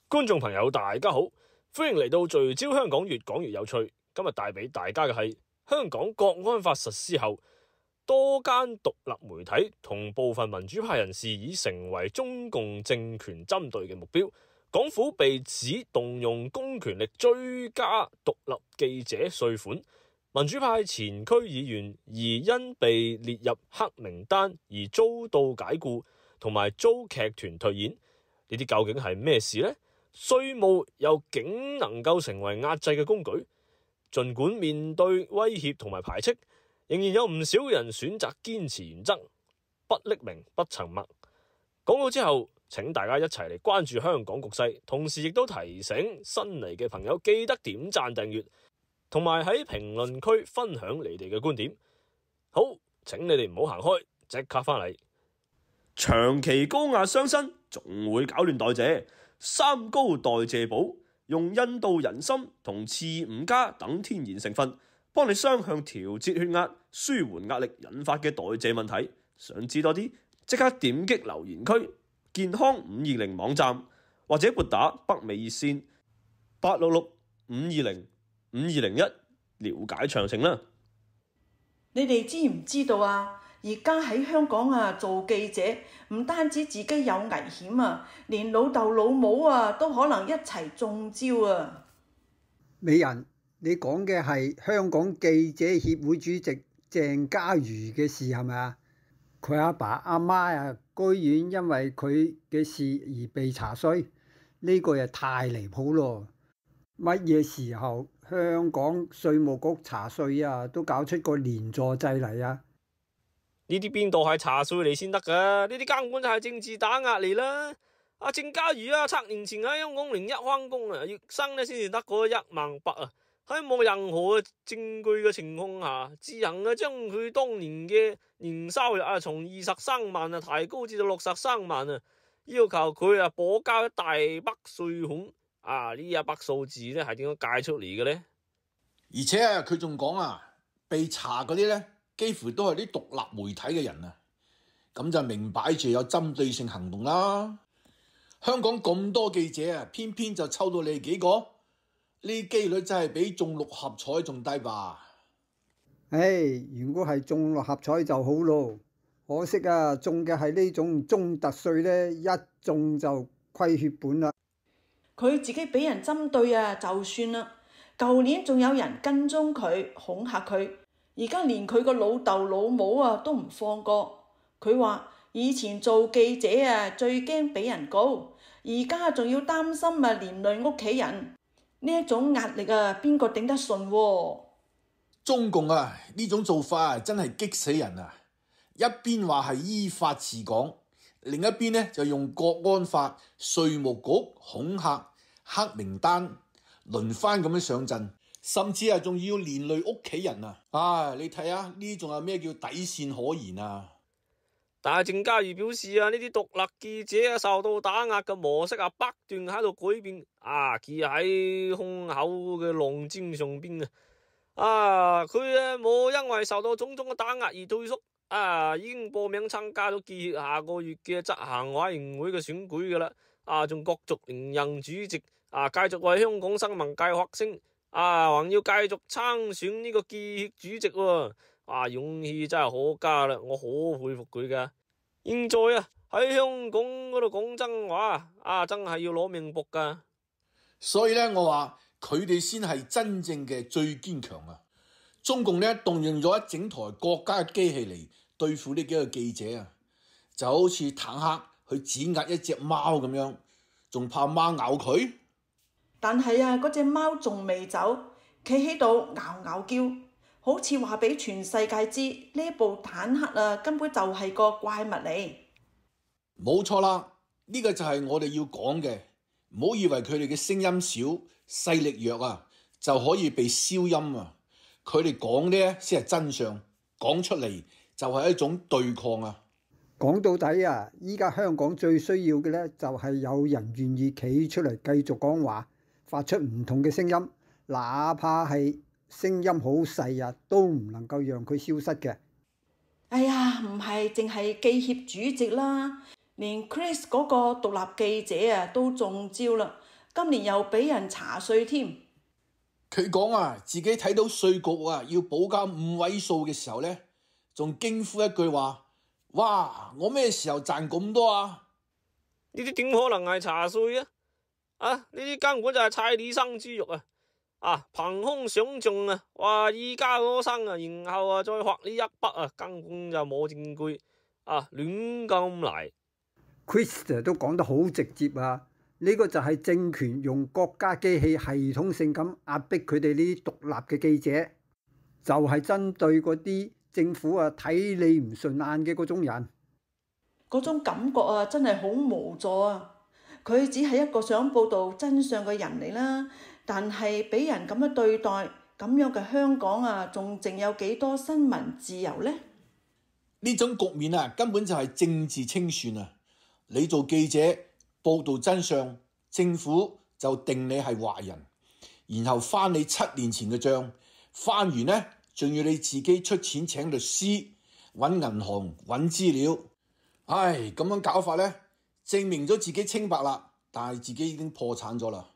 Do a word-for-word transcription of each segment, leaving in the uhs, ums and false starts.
觀眾朋友大家好，歡迎嚟到聚焦香港，越講越有趣。今日帶俾大家嘅係香港國安法實施後，多間獨立媒體同部分民主派人士已成為中共政權針對嘅目標。港府被指動用公權力追加獨立記者稅款，民主派前區議員而因被列入黑名單而遭到解僱，同埋遭劇團退演。呢啲究竟係咩事呢？稅務又竟能夠成為壓制嘅工具？儘管面對威脅同埋排斥，仍然有唔少人選擇堅持原則，不匿名不沉默。講到之後，請大家一齊嚟關注香港局勢，同時亦都提醒新嚟嘅朋友記得點讚訂閱，同埋喺評論區分享你哋嘅觀點。好，請你哋唔好行開，即刻返嚟。長期高壓傷身，仲會搞亂代謝。三高代謝寶用印度人參同刺五加等天然成分，幫你雙向調節血壓，舒緩壓力引發嘅代謝問題。想知多啲，即刻點擊留言區健康五二零網站，或者撥打北美熱線八六六五二零五二零一了解詳情啦。你哋知唔知道啊？而家喺香港啊，做記者唔單止自己有危險啊，連老豆老母啊都可能一齊中招啊！美人，你講嘅係香港記者協會主席鄭家瑜嘅事係咪啊？佢阿爸阿媽啊，居然因為佢嘅事而被查稅，呢個又太離譜咯！乜嘢時候香港稅務局查稅啊，都搞出個連坐制嚟啊？呢啲邊度係查稅嚟先得噶？呢啲根本就係政治打壓嚟啦！阿鄭家瑜啊，七年前喺香港零一翻工啊，月薪咧先至得嗰一萬八啊，喺冇任何嘅證據嘅情況下，自行啊將佢當年嘅年收入啊從二十三萬啊提高至到六十三萬啊，要求佢啊補交一大筆稅款啊！呢一筆數字咧係點樣計出嚟嘅咧？而且啊，佢仲講啊，被查嗰啲咧，幾乎都係啲獨立媒體嘅人啊，咁就明擺住有針對性行動啦。香港咁多記者啊，偏偏就抽到你幾個，呢機率真係比中六合彩仲低吧？唉，如果係中六合彩就好咯，可惜啊，中嘅係呢種中特稅呢，一中就虧血本啦。佢自己俾人針對啊，就算啦。舊年仲有人跟蹤佢，恐嚇佢。而家連佢個老豆老母啊都唔放過，佢話以前做記者啊最驚俾人告，而家仲要擔心啊連累屋企人，呢一種壓力啊邊個頂得順喎？中共啊呢種做法啊真係激死人啊！一邊話係依法治港，另一邊呢就用國安法、稅務局恐嚇、黑名單輪番咁樣上陣。甚至啊，仲要連累屋企人啊！啊，你睇下呢，仲有咩叫底線可言啊？但係鄭家瑜表示啊，呢啲獨立記者啊受到打壓嘅模式啊，不斷喺度改變啊，企喺胸口嘅浪尖上邊啊！啊，佢啊冇因為受到種種嘅打壓而退縮啊，已經報名參加咗記協下個月嘅執行委員會嘅選舉噶啦！啊，仲角逐連任主席啊，繼續為香港新聞界發聲。啊，還要繼續參選呢個記協主席喎！啊，勇氣真係可嘉啦，我好佩服佢噶。現在啊喺香港嗰度講真話，啊真係要攞命搏噶。所以咧，我話佢哋先係真正嘅最堅強啊！中共咧動用咗一整台國家嘅機器嚟對付呢幾個記者啊，就好似坦克去指壓一隻貓咁樣，仲怕貓咬佢？但係啊，嗰隻貓仲未走，企喺度嗷嗷叫，好似話俾全世界知呢部坦克啊根本就係個怪物嚟。冇錯啦，呢個就係我哋要講嘅，唔好以為佢哋嘅聲音少、勢力弱啊，就可以被消音啊。佢哋講呢先係真相，講出嚟就係一種對抗啊。講到底啊，依家香港最需要嘅呢，就係有人願意企出嚟繼續講話。發出唔同嘅聲音，哪怕係聲音好細啊，都唔能夠讓佢消失嘅。哎呀，唔係淨係記協主席啦，連 Chris 嗰個獨立記者啊都中招啦。今年又俾人查稅添。佢講啊，自己睇到稅局啊要補交五位數嘅時候呢，仲驚呼一句話：哇！我咩時候賺咁多啊？呢啲點可能係查稅啊？啊！呢啲根本就係菜底生豬肉啊！啊，憑空想象啊，話而家嗰生啊，然後啊再畫呢一筆啊，根本就冇證據啊，亂咁嚟。Chris 都講得好直接啊！呢個就係政權用國家機器系統性咁壓迫佢哋呢啲獨立嘅記者，就係針對嗰啲政府啊睇你唔順眼嘅嗰種人。嗰種感覺啊，真係好無助啊！佢只係一個想報導真相嘅人嚟啦，但係俾人咁樣對待，咁樣嘅香港啊，仲剩有幾多新聞自由呢？呢種局面啊，根本就係政治清算啊！你做記者報導真相，政府就定你係壞人，然後翻你七年前嘅帳，翻完呢，仲要你自己出錢請律師、揾銀行、揾資料。唉，咁樣搞法呢，證明咗自己清白啦，但係自己已經破產咗啦。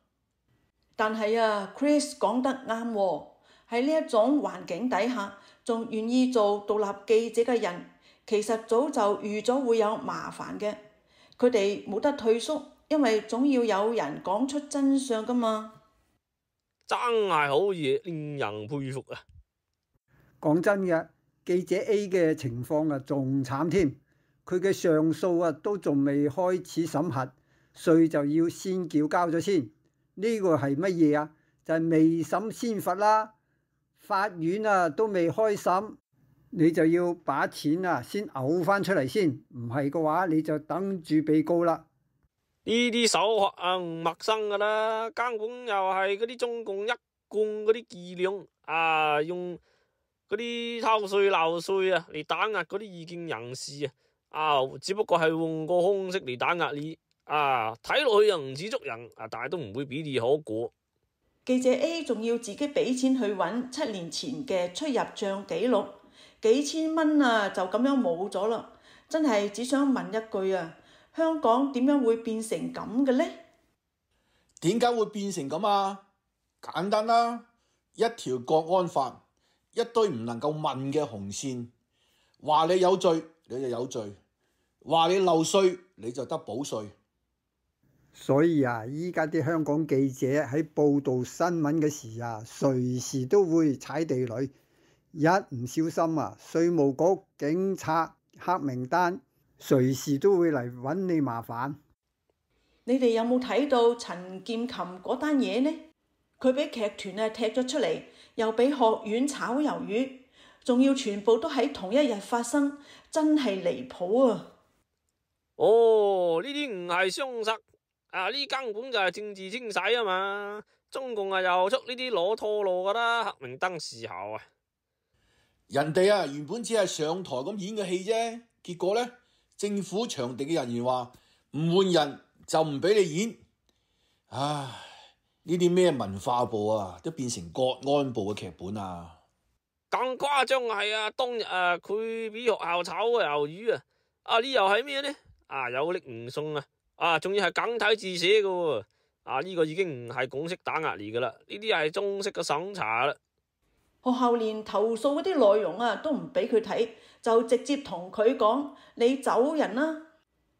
但係啊 ，Chris 講得啱喎，喺呢一種環境底下，仲願意做獨立記者嘅人，其實早就預咗會有麻煩嘅。佢哋冇得退縮，因為總要有人講出真相噶嘛。真係好嘢，令人佩服啊！講真嘅，記者 A 嘅情況啊仲慘添。佢嘅上訴啊，都仲未開始審核，稅就要先繳交咗先。呢個係乜嘢啊？就係未審先罰啦。法院啊都未開審，你就要把錢啊先嘔翻出嚟先。唔係嘅話，你就等住被告啦。呢啲手法啊唔陌生噶啦，根本又係嗰啲中共一貫嗰啲伎倆啊，用嗰啲偷稅漏稅啊嚟打壓嗰啲異見人士啊。啊，只不過係換個方式嚟打壓你啊，睇落去又唔似捉人啊，但係都唔會比你可過。記者 A 仲要自己俾錢去揾七年前嘅出入帳記錄，幾千蚊啊就咁樣冇咗啦！真係只想問一句啊，香港點樣會變成咁嘅呢？點解會變成咁啊？簡單啦，一條國安法，一堆唔能夠問嘅紅線，話你有罪你就有罪，話你漏稅你就得補稅。所以啊，依家啲香港記者喺報導新聞嘅時啊，隨時都會踩地雷，一唔小心啊，稅務局、警察、黑名單，隨時都會嚟揾你麻煩。你哋有冇睇到陳劍琴嗰單嘢呢？佢俾劇團啊踢咗出嚟，又俾學院炒魷魚，仲要全部都喺同一日發生，真係離譜啊！哦，呢啲唔係雙殺啊，呢根本就係政治清洗啊嘛！中共啊又出呢啲攞拖路噶啦，黑名單時候啊，人哋啊原本只係上台咁演個戲啫，結果呢，政府場地嘅人員話唔換人就唔俾你演。唉，呢啲咩文化部啊，都變成國安部嘅劇本啊！更誇張係啊，當日啊佢俾學校炒個魷魚啊，啊呢又係咩呢？啊有力唔送啊！啊仲要係簡體字寫嘅喎，啊呢個已經唔係港式打壓嚟噶啦，呢啲係中式嘅審查啦。學校連投訴嗰啲內容啊都唔俾佢睇，就直接同佢講你走人啦！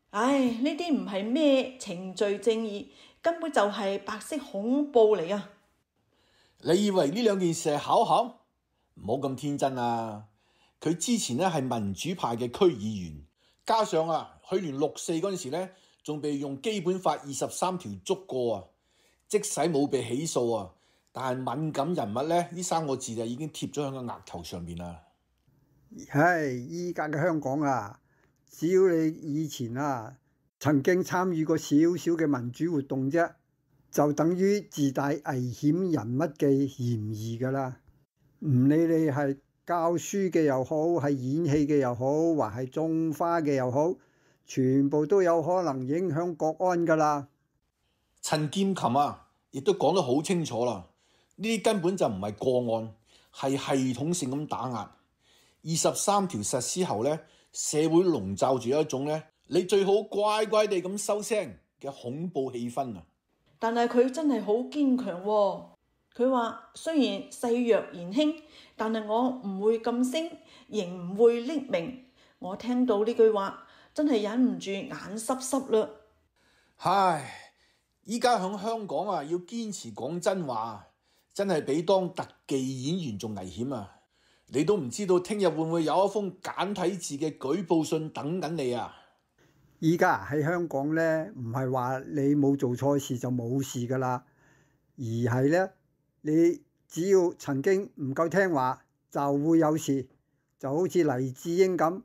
唉，呢啲唔係咩程序正義，根本就係白色恐怖嚟啊！你以為呢兩件事係巧合？唔好咁天真啊！佢之前咧係民主派嘅區議員，加上啊去年六四嗰陣時咧，仲被用基本法二十三條捉過啊，即使冇被起訴啊，但係敏感人物咧呢三個字就已經貼咗喺個額頭上面啦。唉，依家嘅香港啊，只要你以前啊曾經參與過少少嘅民主活動啫，就等於自帶危險人物嘅嫌疑噶啦。唔理你係教書嘅又好，係演戲嘅又好，或係種花嘅又好，全部都有可能影響國安噶啦。陳劍琴啊，亦都講得好清楚啦，呢啲根本就唔係個案，係系統性咁打壓。二十三條實施後呢，社會籠罩住一種呢，你最好乖乖地咁收聲嘅恐怖氣氛啊！但係佢真係好堅強喎。佢話雖然細弱言輕，但係我唔會噤聲，仍唔會匿名。我聽到呢句話，真係忍唔住眼濕濕啦。唉，依家響香港啊，要堅持講真話，真係比當特技演員仲危險啊！你都唔知道聽日會唔會有一封簡體字嘅舉報信等緊你啊！依家喺香港咧，唔係話你冇做錯事就冇事噶啦，而係咧你只要曾經唔夠聽話，就會有事。就好似黎智英咁，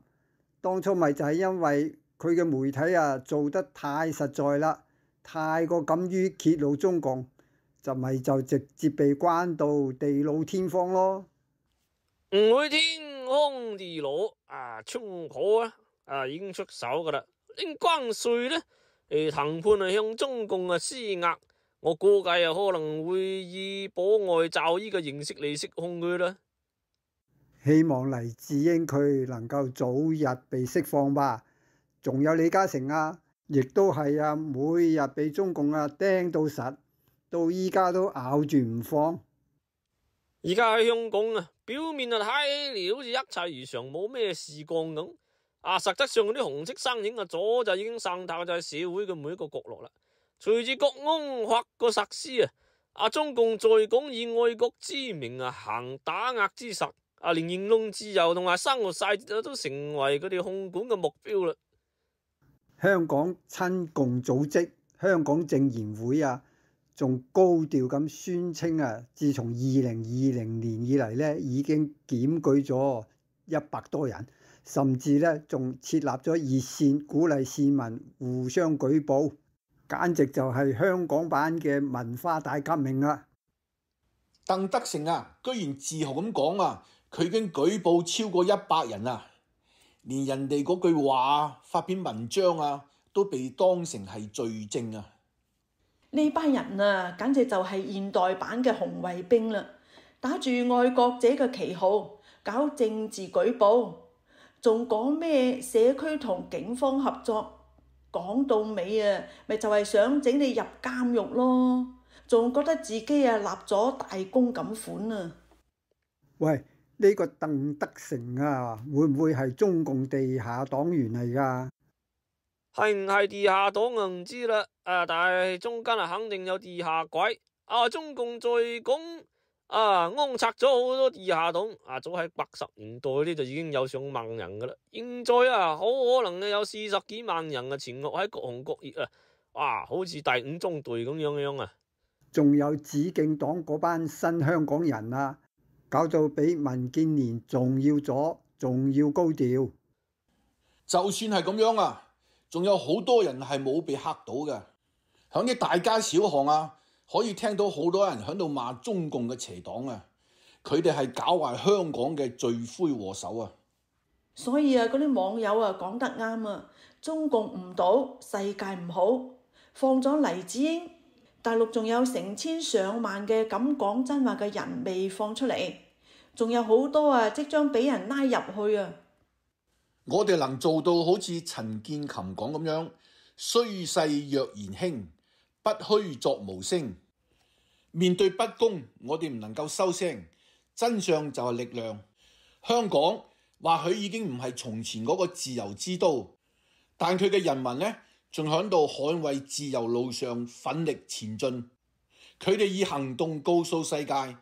當初咪就係因為佢嘅媒體啊做得太實在啦，太過敢於揭露中共，就咪就直接被關到地老天荒咯。唔會天荒地老啊，川普啊啊已經出手噶啦，拎關稅咧誒談判啊向中共啊施壓，我估計啊可能會以保外罩呢個形式嚟釋控佢啦。希望黎智英佢能夠早日被釋放吧。仲有李嘉誠啊，亦都係啊，每日被中共啊釘到實，到依家都咬住唔放。而家喺香港啊，表面啊睇嚟好似一切如常，冇咩事幹咁。啊，實質上嗰啲紅色身影啊，早就已經滲透在社會嘅每一個角落啦。隨住國安法個實施啊，啊中共在港以愛國之名啊行打壓之實。啊！連言論自由同埋生活細節都成為佢哋控管嘅目標啦。香港親共組織香港政研會啊，仲高調咁宣稱啊，自從二零二零年以嚟咧，已經檢舉咗一百多人，甚至咧仲設立咗熱線，鼓勵市民互相舉報，簡直就係香港版嘅文化大革命啊！鄧德成啊，居然自豪咁講啊！佢已經舉報超過一百人啊，連人哋嗰句話發篇文章啊，都被當成係罪證啊！呢班人啊，簡直就係現代版嘅紅衛兵啦，打住愛國者嘅旗號搞政治舉報，仲講咩社區同警方合作，講到尾啊，咪就係想整你入監獄咯，仲覺得自己啊立咗大功咁款啊！喂！呢個鄧德成啊，會唔會係中共地下黨員嚟㗎？係唔係地下黨啊？唔知啦。啊，但係中間啊，肯定有地下鬼。啊，中共在港啊，安插咗好多地下黨。啊，早喺八十年代呢就已經有上萬人噶啦。現在啊，好可能有四十幾萬人啊，潛伏喺各行各業啊。哇，好似第五中隊咁樣樣啊。仲有紫荊黨嗰班新香港人啊！搞到比民建聯仲要左，仲要高調。就算係咁樣啊，仲有好多人係冇被嚇到嘅。響啲大街小巷啊，可以聽到好多人響度罵中共嘅邪黨啊。佢哋係搞壞香港嘅罪魁禍首啊。所以啊，嗰啲網友啊講得啱啊，中共唔倒，世界唔好。放咗黎智英，大陸仲有成千上萬嘅敢講真話嘅人未放出嚟，仲有好多啊即將俾人拉入去啊！我哋能做到好似陳建琴講咁樣，雖勢若言輕，不虛作無聲。面對不公，我哋唔能夠收聲，真相就係力量。香港或許已經唔係從前嗰個自由之都，但佢嘅人民呢，仲喺度捍衛自由路上奮力前進。佢哋以行動告訴世界，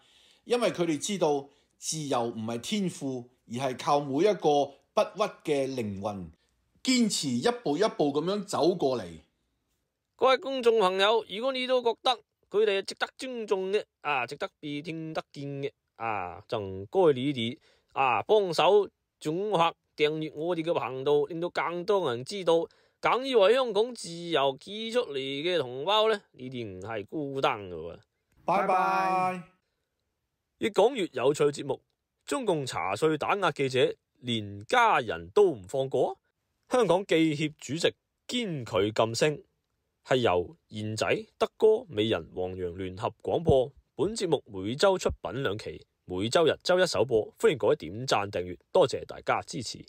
因為佢哋知道自由唔係天賦，而係靠每一個不屈嘅靈魂堅持一步一步咁樣走過嚟。各位公眾朋友，如果你都覺得佢哋係值得尊重嘅啊，值得被聽得見嘅啊，就唔該你哋啊幫手轉發訂閱我哋嘅頻道，令到更多人知道。敢於為香港自由企出嚟嘅同胞呢，你哋唔係孤單嘅喎。拜拜。越講越有趣節目，中共查稅打壓記者，連家人都唔放過。香港記協主席堅拒噤聲，係由賢仔、德哥、美人、黃洋聯合廣播。本節目每周出品兩期，每周日周一首播，歡迎各位點讚訂閱，多謝大家支持。